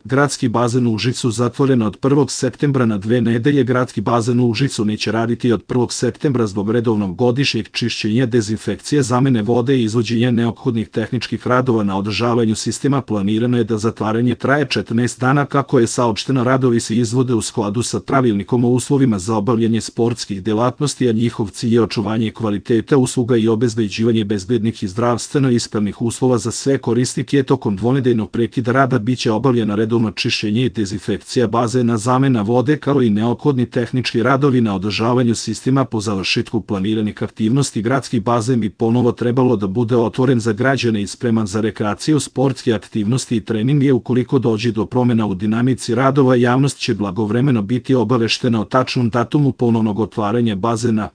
Gradski bazen u Užicu zatvoren od 1. septembra na 2 nedelje. Gradski bazen u Užicu neće raditi od 1. septembra zbog redovnog godišnjeg čišćenja, dezinfekcije, zamene vode i izvođenja neophodnih tehničkih radova na održavanju sistema. Planirano je da zatvaranje traje 14 dana, kako je saopšteno. Radovi se izvode u skladu sa pravilnikom o uslovima za obavljanje sportskih delatnosti, a njihov cilj je očuvanje kvaliteta usluga i obezbeđivanje bezbednih i zdravstveno ispravnih uslova za sve korisnike. Tokom dvonedeljnog prekida rada biće obavljena redovno čišćenje i dezinfekcija bazena, zamena vode, kao i neophodni tehnički radovi na održavanju sistema. Po završetku planiranih aktivnosti gradski bazen bi ponovo trebalo da bude otvoren za građane i spreman za rekreaciju, sportske aktivnosti i treninge. Ukoliko dođe do promjena u dinamici radova, javnost će blagovremeno biti obaveštena o tačnom datumu ponovnog otvaranja bazena.